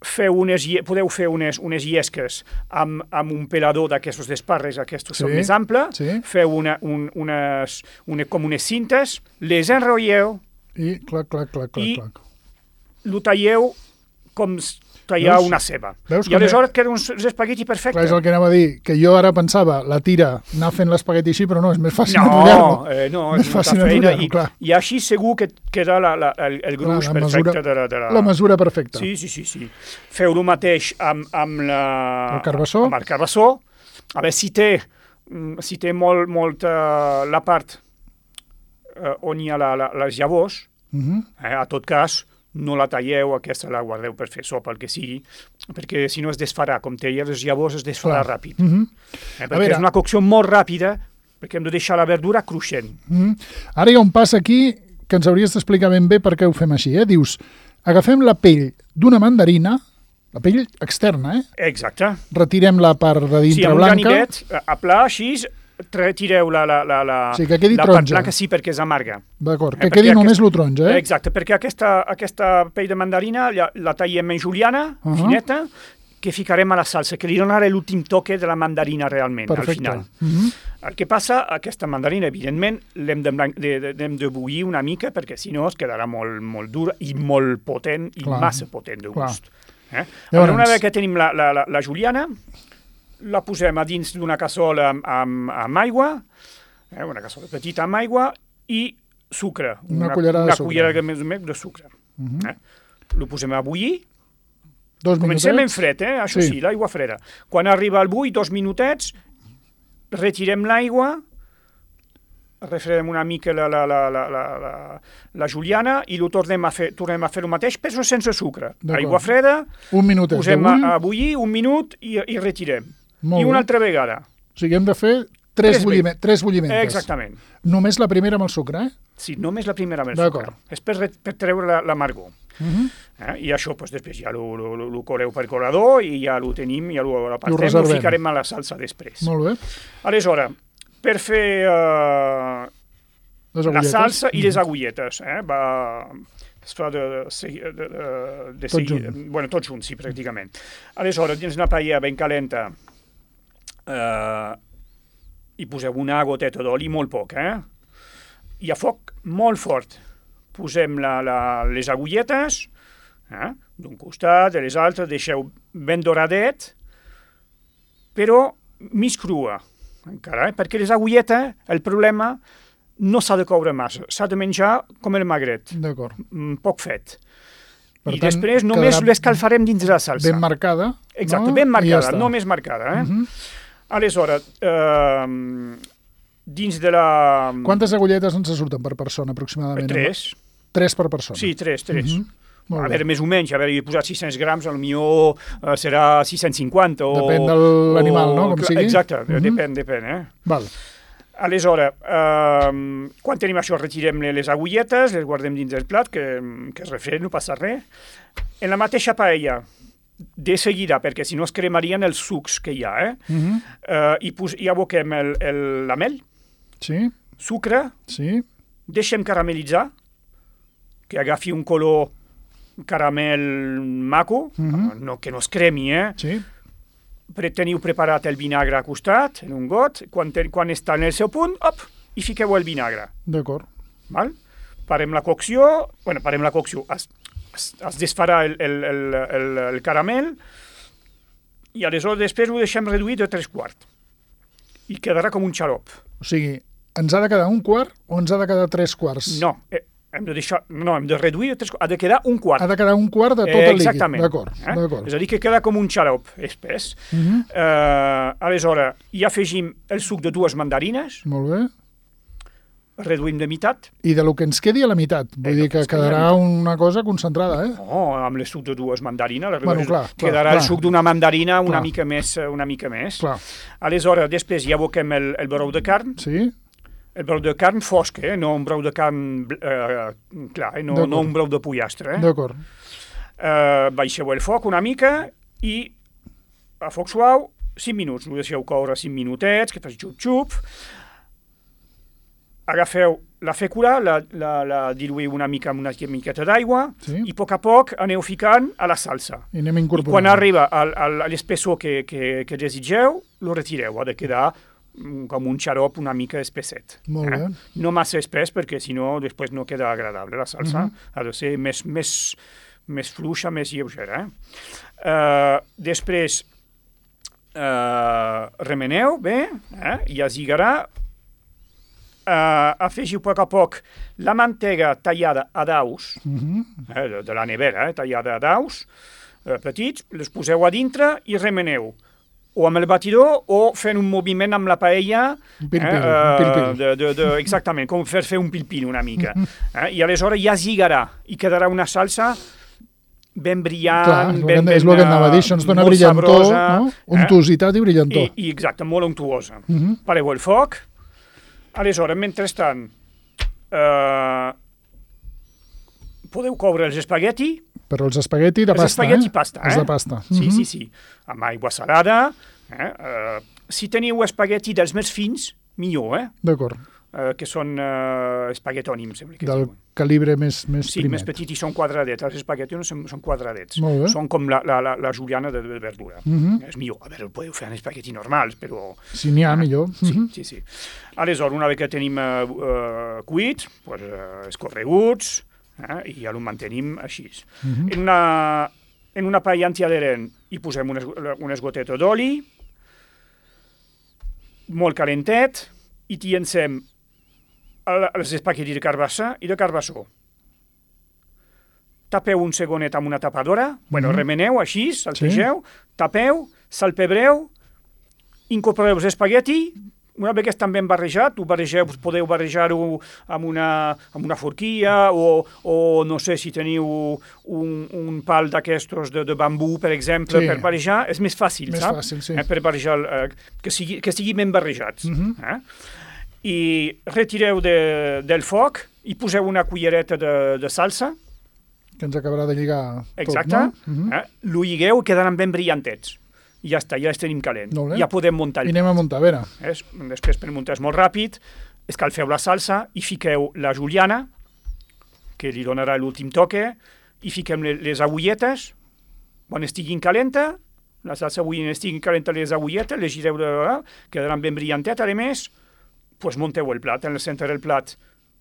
podeu fer unes llesques amb un pelador d'aquestos d'esparres, aquests són més amples, feu com unes cintes, les enrotlleu i lo talleu com tallar una ceba. I aleshores queda uns espagueti perfecte. Clar, és el que anava a dir, que jo ara pensava, la tira, anar fent l'espagueti així, però no, és més fàcil enrotllar-lo. No, és molta feina, i així segur que queda el gruix perfecte de la... La mesura perfecta. Sí. Feu el mateix amb el carbassó. Amb el carbassó. A veure, si té molt la part on hi ha les llavors, a tot cas, no la talleu, aquesta la guardeu per fer sopa, el que sigui, perquè si no es desfarà, com té les llavors es desfarà ràpid. Perquè és una cocció molt ràpida, perquè hem de deixar la verdura cruixent. Ara hi ha un pas aquí que ens hauries d'explicar ben bé per què ho fem així. Dius, agafem la pell d'una mandarina, la pell externa, Exacte. Retirem la part de dintre blanca. Sí, amb un ganivet, a pla, així, retireu la que quedi taronja. Part blanca, sí, perquè és amarga. D'acord, que quedi només lo taronja, Exacte, perquè aquesta pell de mandarina la tallem en juliana, fineta, que ficarem a la salsa, que li donarà l'últim toque de la mandarina realment, al final. El que passa, aquesta mandarina, evidentment, l'hem de bullir una mica, perquè si no es quedarà molt dura i molt potent, i massa potent de gust. Una vegada que tenim la juliana, la posem a dins d'una cassola amb aigua, una cassola petita amb aigua, i sucre. Una cullerada de sucre. Lo posem a bullir. 2 minutets. Comencem en fred, això sí, l'aigua freda. Quan arriba al bull, 2 minutets, retirem l'aigua, refredem una mica la juliana i ho tornem a fer el mateix, però sense sucre. Aigua freda, posem a bullir, 1 minut i retirem. I una altra vegada. O sigui, hem de fer 3 bulliments. Exactament. Només la primera amb el sucre, Sí, només la primera amb el sucre. És per treure l'amargor. I això, després ja ho coleu per colador i ja ho tenim, ja ho apartem, ho ficarem a la salsa després. Molt bé. Aleshores, per fer la salsa i les agulletes, es fa de seguida, tots junts, sí, pràcticament. Aleshores, dins una paella ben calenta, hi poseu una goteta d'oli, molt poc, i a foc molt fort posem les agulletes, d'un costat, de les altres, deixeu ben doradet, però mig crua, encara, perquè les agulletes, el problema, no s'ha de coure massa, s'ha de menjar com el magret, poc fet. I després només l'escalfarem dins de la salsa. Ben marcada. Exacte, ben marcada, no més marcada. Aleshores, dins de la... Quantes agulletes ens surten per persona, aproximadament? 3. 3 per persona? Sí, 3. A veure, més o menys, he posat 600 grams, potser serà 650. Depèn de l'animal, no?, com sigui. Exacte, depèn. Val. Aleshores, quan tenim això, retirem les agulletes, les guardem dins del plat, que es refreden, no passa res. En la mateixa paella, de seguida, perquè si no es cremarien els sucs que hi ha, i aboquem la mel, sucre, deixem caramelitzar, que agafi un color caramel maco, que no es cremi, teniu preparat el vinagre a costat, en un got, quan està en el seu punt, i fiqueu el vinagre. D'acord. Parem la cocció, es desfarà el caramel, i aleshores després ho deixem reduir de 3/4. I quedarà com un xarop. O sigui, ens ha de quedar 1/4 o ens ha de quedar 3/4? No, hem de reduir, ha de quedar 1/4. Ha de quedar 1/4 de tot el líquid. Exactament. D'acord. És a dir, que queda com un xarop espès. Aleshores, hi afegim el suc de 2 mandarines. Molt bé. Reduïm de meitat. I de lo que ens quedi a la meitat. Vull dir que quedarà una cosa concentrada, No, amb el suc de 2 mandarines. Quedarà el suc d'una mandarina una mica més. Clar. Aleshores, després hi aboquem el brou de carn. Sí. El brou de carn fosc, no un brou de carn clar, no un brou de pollastre. D'acord. Baixeu el foc una mica i a foc suau 5 minuts. Ho deixeu coure 5 minutets, que faci xup-xup. Agafeu la fècula la diluïu una mica amb una miqueta d'aigua i a poc aneu ficant a la salsa. I anem incorporant. I quan arriba a l'espessor que desitgeu, lo retireu. Ha de quedar com un xarop una mica espesset. Molt bé. No massa espès perquè si no després no queda agradable la salsa. Ha de ser més fluixa, més lleugera. Després remeneu bé i azigarà. Afegiu a poc la mantega tallada a daus, de la nevera, tallada a daus, petits, les poseu a dintre i remeneu. O amb el batidor o fent un moviment amb la paella. Un pil-pil. Exactament, com fer un pil-pil una mica. I aleshores ja zigarà i quedarà una salsa ben brillant, és el que anava a dir, això ens dona brillantor, no? Untositat i brillantor. I exacte, molt untuosa. Pareu el foc. Aleshores, mentrestant, podeu coure els espagueti. Però els espagueti de pasta, Els espagueti pasta, Els de pasta. Sí. Amb aigua salada. Si teniu espagueti dels més fins, millor, D'acord. Que són espaguetoni, em sembla que Del diuen. calibre més Sí, primet. més petits i són quadradets. Els espaguetis són quadradets. Molt bé. Són com la juliana de verdura. És millor. A veure, podeu fer en espaguetis normals, però... Si n'hi ha, millor. Sí. Aleshores, una vegada que tenim cuits, escorreguts, i ja ho mantenim així. En una paella antiadherent hi posem unes gotetes d'oli, molt calentet, i t'hi encem els espaguetis de carbassa i de carbassó. Tapeu un segonet amb una tapadora, remeneu així, saltegeu, tapeu, salpebreu, incorporeu els espagueti. Una vegada estan ben barrejat, podeu barrejar-ho amb una forquilla o no sé si teniu un pal d'aquestos de bambú, per exemple, per barrejar. És més fàcil, saps? Més fàcil, sí. Per barrejar, que sigui ben barrejats. I retireu del foc i poseu una cullereta de salsa. Que ens acabarà de lligar tot, exacte. No? Lo lligueu i quedaran ben brillantets. I ja està, ja els tenim calent. Ja podem muntar el plat. I anem a muntar, a veure. Després per muntar és molt ràpid, escalfeu la salsa i fiqueu la juliana, que li donarà l'últim toque, i fiquem les agulletes, quan estiguin calenta, la salsa estiguin calenta les agulletes, les gireu, quedaran ben brillantet, a més, doncs munteu el plat, en el centre del plat.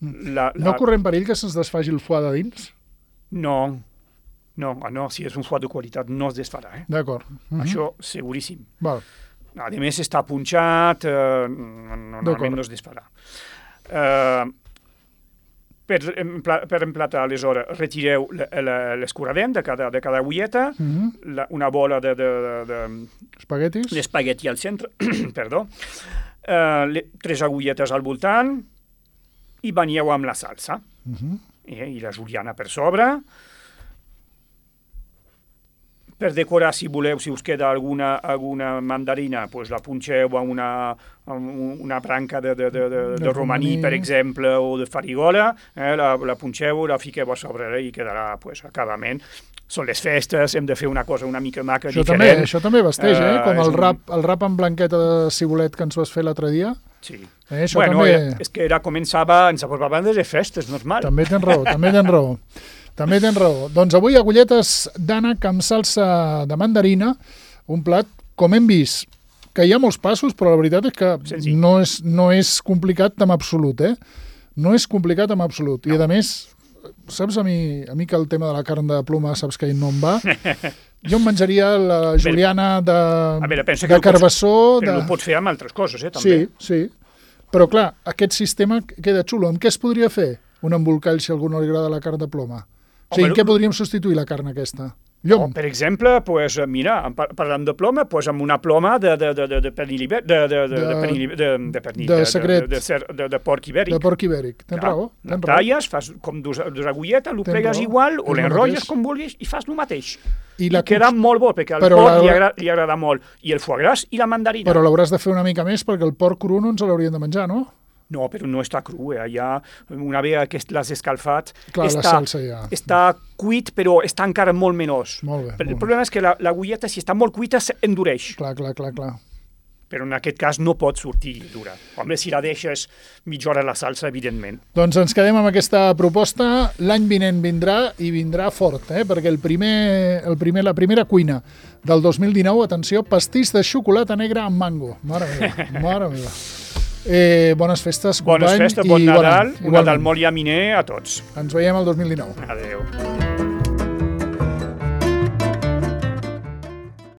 No correm perill que se'ns desfaci el foie de dins? No, si és un foie de qualitat no es desfarà. D'acord. Això seguríssim. Val. A més està punxat, normalment no es desfarà. Per emplatar, aleshores, retireu l'escuradent de cada agulleta, una bola espaguetis, l'espagueti al centre, perdó, 3 agulletes al voltant i banyeu amb la salsa i la juliana per sobre. Per decorar, si voleu, si us queda alguna mandarina, la punxeu a una branca de romaní, per exemple, o de farigola, la punxeu, la fiqueu a sobre i quedarà acabament. Són les festes, hem de fer una cosa una mica maca, diferent. Això també vesteix, com el rap amb blanqueta de cibulet que ens vas fer l'altre dia. Sí. Bueno, és que ens apropaven de les festes, normal. També tens raó. També tens raó. Doncs avui agulletes d'ànec amb salsa de mandarina, un plat, com hem vist, que hi ha molts passos, però la veritat és que no és complicat en absolut, No és complicat en absolut. I a més, saps a mi que el tema de la carn de ploma saps que no em va? Jo em menjaria la juliana de carbassó... Però ho pots fer amb altres coses, també. Sí. Però clar, aquest sistema queda xulo. Amb què es podria fer un embolcall si a algú no li agrada la carn de ploma? O sigui, en què podríem substituir la carn aquesta? Llom. Per exemple, mira, parlant de ploma, amb una ploma de secret. De porc ibèric. De porc ibèric, tens raó. La talles, fas com dos agulletes, ho plegues igual, o l'enrotlles com vulguis i fas el mateix. I queda molt bo, perquè al porc li agrada molt. I el foie gras i la mandarina. Però l'hauràs de fer una mica més, perquè el porc cru no ens l'hauríem de menjar, no? No, però no està cru, ja una vegada que l'has escalfat, està cuit, però està encara molt menós. Molt bé. El problema és que l'agulleta, si està molt cuita, endureix. Clar. però en aquest cas no pot sortir dura. Home, si la deixes mitja hora a la salsa, evidentment. Doncs ens quedem amb aquesta proposta. L'any vinent vindrà i vindrà fort, perquè la primera cuina del 2019, atenció, pastís de xocolata negra amb mango. Mare meva. Bones festes, company. Bones festes, bon Nadal, un Nadal molt llaminer a tots. Ens veiem el 2019. Adéu.